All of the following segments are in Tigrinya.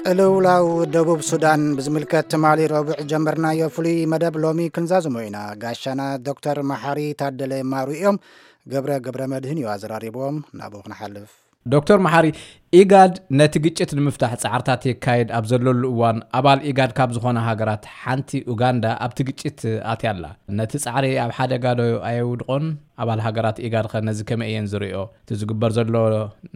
ቅልውላው ደቡብ ሱዳን ብዝምልከት ትማሊ ረቡዕ ጀመርናዮ ፍሉይ መደብ ሎሚ ክንዛዝሞ ኢና። ጋሻና ዶክተር መሓሪ ታደለ ማሩ እዮም። ገብረ ገብረ መድህን እዩ ኣዘራሪብዎም። ናብኡ ክንሓልፍ። ዶክተር መሓሪ፣ ኢጋድ ነቲ ግጭት ንምፍታሕ ጻዕርታት የካይድ ኣብ ዘለሉ እዋን፣ ኣባል ኢጋድ ካብ ዝኾና ሃገራት ሓንቲ ኡጋንዳ ኣብቲ ግጭት ኣትያ ኣላ። ነቲ ጻዕሪ ኣብ ሓደጋ ዶ ኣየውድቖን? ኣባል ሃገራት ኢጋድ ኸ ነዚ ከመይ እየን ዝርእዮ? እቲ ዝግበር ዘሎ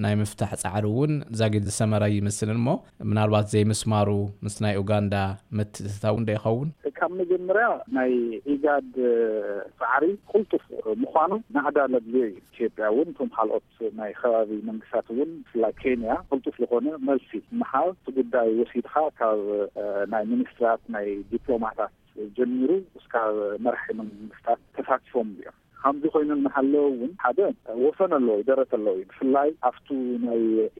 ናይ ምፍታሕ ጻዕሪ እውን ዛጊድ ዝሰመረ ይመስልን እሞ፣ ምናልባት ዘይምስማሩ ምስ ናይ ኡጋንዳ ምትእትታው እንዶ ይኸውን? ካብ መጀመርያ ናይ ኢጋድ ጻዕሪ ቅልጡፍ ምዃኑ ናህዳ ለድልዮ እዩ። ኢትዮጵያ እውን እቶም ካልኦት ናይ ከባቢ መንግስታት እውን ብፍላይ ኬንያ ቅልጡፍ ዝኾነ መልሲ ምሃብ እቲ ጉዳይ ወሲድካ ካብ ናይ ሚኒስትራት ናይ ዲፕሎማታት ጀሚሩ እስካብ መራሒ መንግስታት ተሳቲፎም እዮም። ከምዚ ኮይኑ እናሃለወ እውን ሓደ ወሰን ኣለዎ እዩ፣ ደረት ኣለዎ እዩ። ብፍላይ ኣብቱ ናይ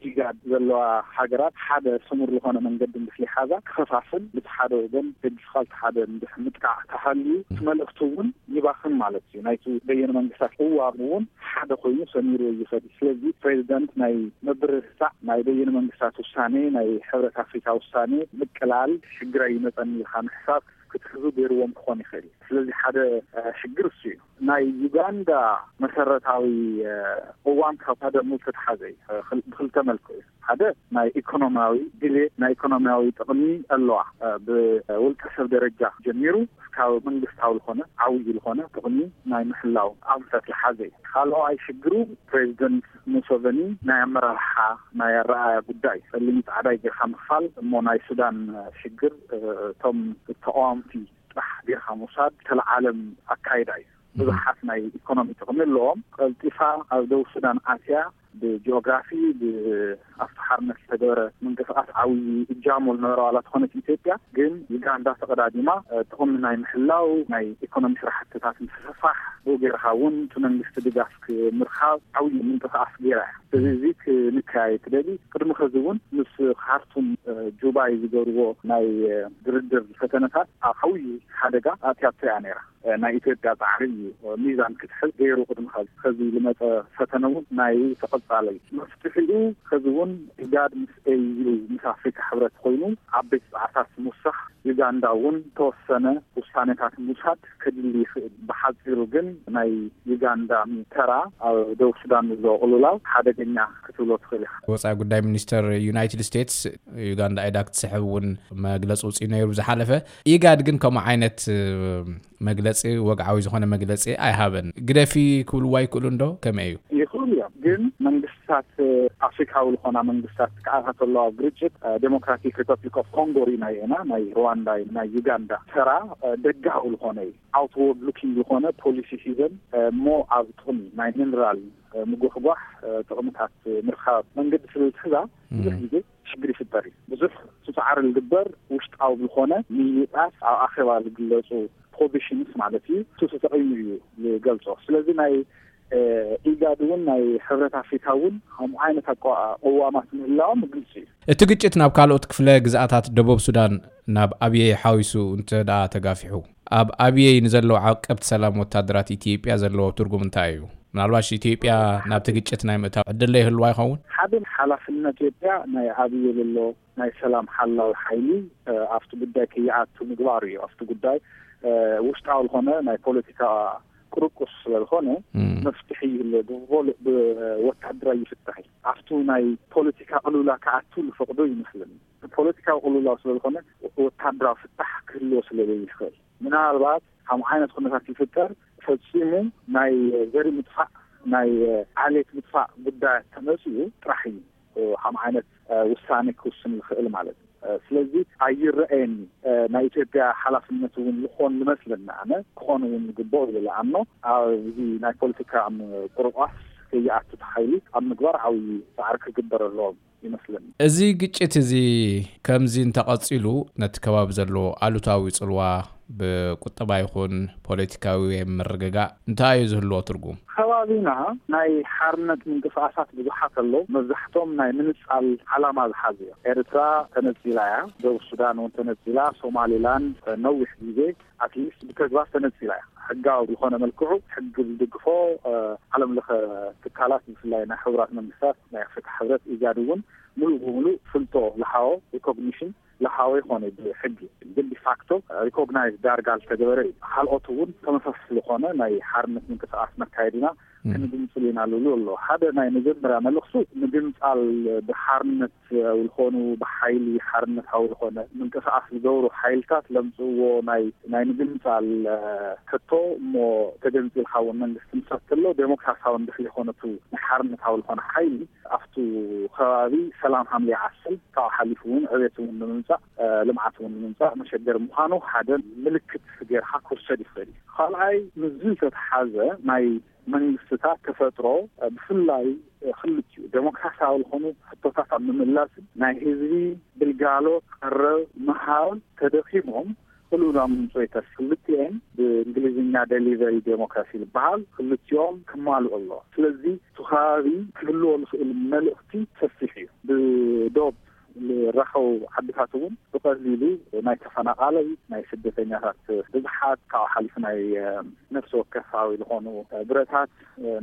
ኢጋድ ዘለዋ ሃገራት ሓደ ስሙር ዝኾነ መንገዲ ምስ ይሓዛ ክኸፋፍል፣ ብቲ ሓደ ወገን ደጊፍካ እቲ ሓደ ምጥቃዕ ተሃልዩ እቲ መልእኽቲ እውን ይባኽን ማለት እዩ። ናይቲ በየነ መንግስታት ቅዋም እውን ሓደ ኮይኑ ሰሚሩ ይኸድ እዩ። ስለዚ ፕሬዚደንት ናይ ምብርትታዕ ናይ በየነ መንግስታት ውሳኔ፣ ናይ ሕብረት ኣፍሪካ ውሳኔ ምቅላል ሽግር ኣይመፀን ኢልካ ምሕሳብ ክትሕዙ ገይርዎም ክኾን ይኽእል እዩ። ስለዚ ሓደ ሽግር እሱ እዩ። ናይ ዩጋንዳ መሰረታዊ ቅዋም ካብ ሓደ ሙል ተተሓዘ እዩ። ብክልተ መልክዑ እዩ። ሓደ ናይ ኢኮኖሚያዊ ድሌት፣ ናይ ኢኮኖሚያዊ ጥቕሚ ኣለዋ። ብውልቀ ሰብ ደረጃ ጀሚሩ እስካብ መንግስታዊ ዝኾነ ዓብዪ ዝኾነ ጥቕሚ ናይ ምሕላው ኣንፈት ዝሓዘ እዩ። ካልኣዋይ ሽግሩ ፕሬዚደንት ሙሰቨኒ ናይ ኣመራርሓ ናይ ኣረኣያ ጉዳይ ጸሊም ጻዕዳይ ጌርካ ምኽፋል እሞ ናይ ሱዳን ሽግር እቶም ተቃወምቲ ጥራሕ ጌርካ ምውሳድ ተለዓለም ኣካይዳ እዩ። ብዙሓት ናይ ኢኮኖሚ ጥቕሚ ኣለዎም። ቀልጢፋ ኣብ ደቡብ ሱዳን ኣትያ ብጂኦግራፊ ብኣፍቲ ሓርነት ዝተገበረ ምንቅስቃስ ዓብዪ እጃሞ ዝነበረ ዋላ ተኾነት ኢትዮጵያ ግን ዩጋንዳ ተቐዳዲማ ጥቕሚ ናይ ምሕላው ናይ ኢኮኖሚ ስራሕትታት ምስፍፋሕ ብኡ ጌርካ እውን እቲ መንግስቲ ድጋፍ ምርካብ ዓብዪ ምንቅስቃስ ገይራ እያ። ስለዚ እዚ ክንከያየ ትደሊ ቅድሚ ኸዚ እውን ምስ ካርቱም ጁባይ ዝገርዎ ናይ ድርድር ፈተነታት ኣብ ዓብዪ ሓደጋ ኣትያቶ እያ ነይራ። ናይ ኢትዮጵያ ጻዕሪ እዩ ሚዛን ክትሕዝ ገይሩ ቅድሚ ኸዚ ዝመጸ ፈተነ እውን ናይ ተቐጻለ እዩ። መፍትሒኡ ኸዚ እውን ኢጋድ ምስ ኤዩ ምስ ኣፍሪካ ሕብረት ኮይኑ ዓበይቲ ጻዕርታት ምውሳኽ ዩጋንዳ እውን ተወሰነ ውሳኔታት ምውሳድ ከድሊ ይኽእል። ብሓፂሩ ግን ናይ ዩጋንዳ ተራ ኣብ ደቡብ ሱዳን ዘሎ ቅልውላው ሓደገኛ ክትብሎ ትኽእል ኢኻ። ወፃኢ ጉዳይ ሚኒስተር ዩናይትድ ስቴትስ ዩጋንዳ ኢዳ ክትስሕብ እውን መግለፂ ውፅኢ ነይሩ ዝሓለፈ። ኢጋድ ግን ከምኡ ዓይነት መግለፂ ወግዓዊ ዝኾነ መግለፂ ኣይሃበን። ግደፊ ክብልዋ ይክእሉ እንዶ ከመይ እዩ? ይኽእሉ እዮም ግን መንግስታት ኣፍሪካዊ ዝኾና መንግስታት ክኣታተሉ ኣብ ግርጭት ዴሞክራቲክ ሪፐብሊክ ኦፍ ኮንጎ ሪና ኢና ናይ ሩዋንዳ ናይ ዩጋንዳ ተራ ደጋዊ ዝኾነ እዩ። ኣውትወርድ ሉኪንግ ዝኾነ ፖሊሲ ሒዘን እሞ ኣብ ጥቕሚ ናይ ሚነራል ምጉሕጓሕ ጥቕምታት ምርካብ መንገዲ ስለ ዝሕዛ ብዙሕ ግዜ ሽግር ይፍጠር እዩ። ብዙሕ ፃዕሪ ዝግበር ውሽጣዊ ዝኾነ ምይይጣት ኣብ ኣኼባ ዝግለፁ ፖዚሽንስ ማለት እዩ። እሱ ተጠቒሙ እዩ ዝገልፆ። ስለዚ ናይ ኢጋድ እውን ናይ ሕብረት ኣፍሪካ እውን ከምኡ ዓይነት ኣቋ- ቅዋማት ምህላዎም ግልፂ እዩ። እቲ ግጭት ናብ ካልኦት ክፍለ ግዝኣታት ደቡብ ሱዳን ናብ ኣብየይ ሓዊሱ እንተ ደኣ ተጋፊሑ ኣብ ኣብየይ ንዘለዉ ዓቀብቲ ሰላም ወታደራት ኢትዮጵያ ዘለዎ ትርጉም እንታይ እዩ? ምናልባሽ ኢትዮጵያ ናብቲ ግጭት ናይ ምእታው ዕድል ይህልዋ ይኸውን? ሓደ ሓላፍነት ኢትዮጵያ ናይ ኣብየ ዘሎ ናይ ሰላም ሓላዊ ሓይሊ ኣብቲ ጉዳይ ከይኣቱ ምግባር እዩ። ኣብቲ ጉዳይ ውሽጣዊ ዝኾነ ናይ ፖለቲካ ቅርቁስ ስለዝኾነ መፍትሒ ይህለ ብወታደራዊ ይፍታሕ እዩ። ኣብቱ ናይ ፖለቲካ ቅልውላ ክኣቱ ዝፈቅዶ ይመስለኒ። ፖለቲካዊ ቅልውላው ስለዝኾነ ወታደራዊ ፍታሕ ክህልዎ ስለዘይኽእል ምናልባት ከም ዓይነት ኩነታት ይፍጠር ፈፂሙ ናይ ዘርኢ ምጥፋእ ናይ ዓሌት ምጥፋእ ጉዳያት ተመፅኡ ጥራሕ እዩ ከም ዓይነት ውሳኔ ክውስን ዝኽእል ማለት እዩ። ስለዚ ኣይረአየኒ ናይ ኢትዮጵያ ሓላፍነት እውን ዝኾን ዝመስለኒ ኣነ ክኾን እውን ዝግበኦ ዝለኣኖ ኣብዚ ናይ ፖለቲካ ቁርቋስ ከይኣቱ ተሓይሉ ኣብ ምግባር ዓብዪ ፃዕሪ ክግበር ኣለዎም ይመስለኒ። እዚ ግጭት እዚ ከምዚ እንተቐፂሉ ነቲ ከባቢ ዘለዎ ኣሉታዊ ፅልዋ ብቁጠባ ይኹን ፖለቲካዊ ምርግጋእ እንታይ እዩ ዝህልዎ ትርጉም? ከባቢና ናይ ሓርነት ምንቅስቃሳት ብዙሓት ኣለዉ። መብዛሕቶም ናይ ምንፃል ዓላማ ዝሓዙ እዮም። ኤርትራ ተነፂላ እያ፣ ደቡብ ሱዳን እውን ተነፂላ፣ ሶማሊላንድ ነዊሕ ግዜ ኣትሊስት ብተግባር ተነፂላ እያ። ሕጋዊ ብዝኾነ መልክዑ ሕጊ ዝድግፎ ዓለም ለኸ ትካላት ብፍላይ ናይ ሕቡራት መንግስታት ናይ ኣፍሪካ ሕብረት ኢጋድ እውን ሙሉእ ብሙሉእ ፍልጦ ዝሃቦ፣ ሪኮግኒሽን ዝሃቦ ይኾነ ብሕጊ። ግን ዲፋክቶ ሪኮግናይዝ ዳርጋ ዝተገበረ እዩ። ካልኦት እውን ተመሳሳሊ ዝኾነ ናይ ሓርነት ምንቅስቃስ ነካይድ ኢና፣ ክንግንጽል ኢና ልብሉ ኣሎ። ሓደ ናይ መጀመርያ መልእኽቱ፣ ምግንጻል ብሓርነት ዝኾኑ፣ ብሓይሊ ሓርነታዊ ዝኾነ ምንቅስቃስ ዝገብሩ ሓይልታት ለምጽእዎ ናይ ናይ ምግንጻል ሕቶ እሞ፣ ተገንጺልካ እውን መንግስቲ ምስረትሎ ዴሞክራሲያዊ እንድሕር ዝኾነቱ ንሓርነታዊ ዝኾነ ሓይሊ ኣብቱ ከባቢ ሰላም ሓምሊ ዓሰል ካብኡ ሓሊፉ እውን ዕቤት እውን ንምምጻእ፣ ልምዓት እውን ንምምጻእ መሸገር ምዃኑ ሓደ ምልክት ጌርካ ክውሰድ ይኽእል እዩ። ካልኣይ፣ ምስዚ ዝተተሓዘ ናይ መንግስትታት ተፈጥሮ፣ ብፍላይ ክልቲኡ ዴሞክራሲያዊ ዝኾኑ ሕቶታት ኣብ ምምላስን ናይ ህዝቢ ግልጋሎት ቀረብ ምሃብ ተደኺሞም፣ ክልኡና ምምፅኦ ይተርፍ። ክልቲኤን ብእንግሊዝኛ ደሊቨሪ ዴሞክራሲ ዝበሃል ክልቲኦም ክማልኡ ኣለዎ። ስለዚ እቲ ከባቢ ክህልዎ ዝኽእል መልእኽቲ ሰፊሕ እዩ። ብዶብ ዝራኸቡ ዓድታት እውን ብቐሊሉ ናይ ተፈናቓላይ፣ ናይ ስደተኛታት ብዝሓት፣ ካብኡ ሓሊፉ ናይ ነፍሲ ወከፋዊ ዝኾኑ ብረታት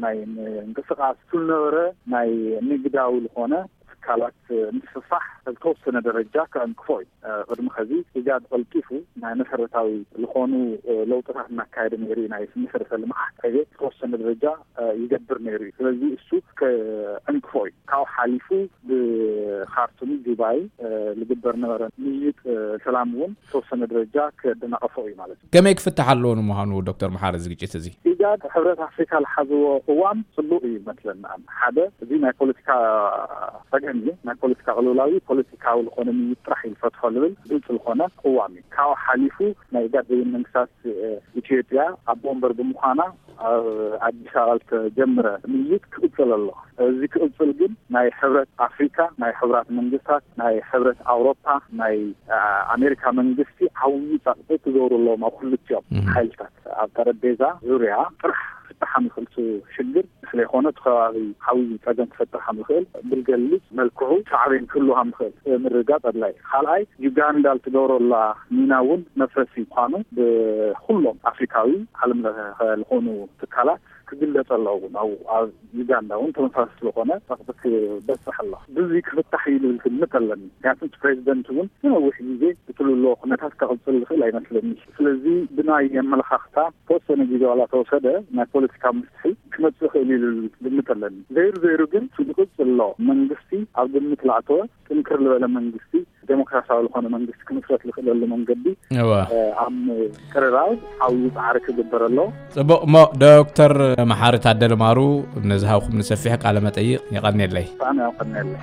ናይ ምንቅስቃስ ዝነበረ ናይ ንግዳዊ ዝኾነ ትካላት ምስፍፋሕ ብተወሰነ ደረጃ ከዕንቅፎ እዩ። ቅድሚ ኸዚ ኢጋድ ቀልጢፉ ናይ መሰረታዊ ዝኾኑ ለውጥታት እናካየደ ነይሩ እዩ። ናይ መሰረተ ልምዓት ዕቤት ዝተወሰነ ደረጃ ይገብር ነይሩ እዩ። ስለዚ እሱ ከዕንቅፎ እዩ። ካብኡ ሓሊፉ ብኻርቱም ጁባይ ዝግበር ነበረ ምይይጥ ሰላም እውን ዝተወሰነ ደረጃ ከደናቐፎ እዩ ማለት እዩ። ከመይ ክፍታሕ ኣለዎ ንምዃኑ ዶክተር መሓሪ እዚ ግጭት እዚ? ኢጋድ፣ ሕብረት ኣፍሪካ ዝሓዝዎ ቅዋም ጽቡቕ እዩ ይመስለና። ሓደ፣ እዚ ናይ ፖለቲካ ጸገም እዩ። ናይ ፖለቲካ ቅልውላው ፖለቲካዊ ዝኾነ ምይይጥ ጥራሕ እዩ ዝፈትሖ ዝብል ግልጽ ዝኾነ ቅዋም እዩ። ካብኡ ሓሊፉ ናይ ኢጋድ በይን መንግስታት ኢትዮጵያ ኣቦ ወንበር ብምዃና ኣብ ኣዲስ ኣበባ ዝተጀመረ ምይይጥ ክቕጽል ኣሎ። እዚ ክቕጽል ግን ናይ ሕብረት ኣፍሪካ፣ ናይ ሕቡራት መንግስታት፣ ናይ ሕብረት ኣውሮፓ፣ ናይ ኣሜሪካ መንግስቲ ዓብዪ ጸቕጢ ክገብሩ ኣለዎም ኣብ ክልቲኦም ሓይልታት። ኣብ ጠረጴዛ ዙርያ ጥራሕ ክፍታሕ ዝኽእል ሽግር ስለይኮነ፣ እቲ ከባቢ ዓብዪ ጸገም ክፈጥር ከም ዝኽእል ብዝገልጽ መልክዑ ሳዕቤን ክህሉ ከም ዝኽእል ምርግጋጽ ኣድላይ። ካልኣይ፣ ዩጋንዳ ልትገብሮ ኣላ ሚና እውን መፍረሲ ምዃኑ ብኩሎም ኣፍሪካዊ ዓለም ለኸ ዝኾኑ ትካላት ክግለጽ ኣለዎ። እውን ኣብ ዩጋንዳ እውን ተመሳሳሊ ዝኾነ ጸቕጢ ክበጽሕ ኣሎ። ብዚ ክፍታሕ እዩ ልብል ግምት ኣለኒ። ምክንያቱ እቲ ፕሬዚደንት እውን ንነዊሕ ግዜ እቲ ልሎ ኩነታት ከቕጽል ዝኽእል ኣይመስለኒ። ስለዚ ብናይ ኣመለኻኽታ ተወሰነ ግዜ ዋላ ተወሰደ ናይ ፖለቲካ መፍትሒ ክመጽእ ይኽእል እዩ ልብል ግምት ኣለኒ። ዘይሩ ዘይሩ ግን እቲ ዝቕጽል ኣሎ መንግስቲ ኣብ ግምት ላእተወ ጥንክር ዝበለ መንግስቲ፣ ዴሞክራሲያዊ ዝኾነ መንግስቲ ክምስረት ዝኽእለሉ መንገዲ ኣብ ቅርራብ ዓብዪ ፃዕሪ ክግበር ኣሎ። ጽቡቕ እሞ፣ ዶክተር መሓሪ ታደለ ማሩ፣ ነዝሃብኩም ንሰፊሕ ቃለ መጠይቕ የቐንየለይ። ብጣዕሚ የቐንየለይ።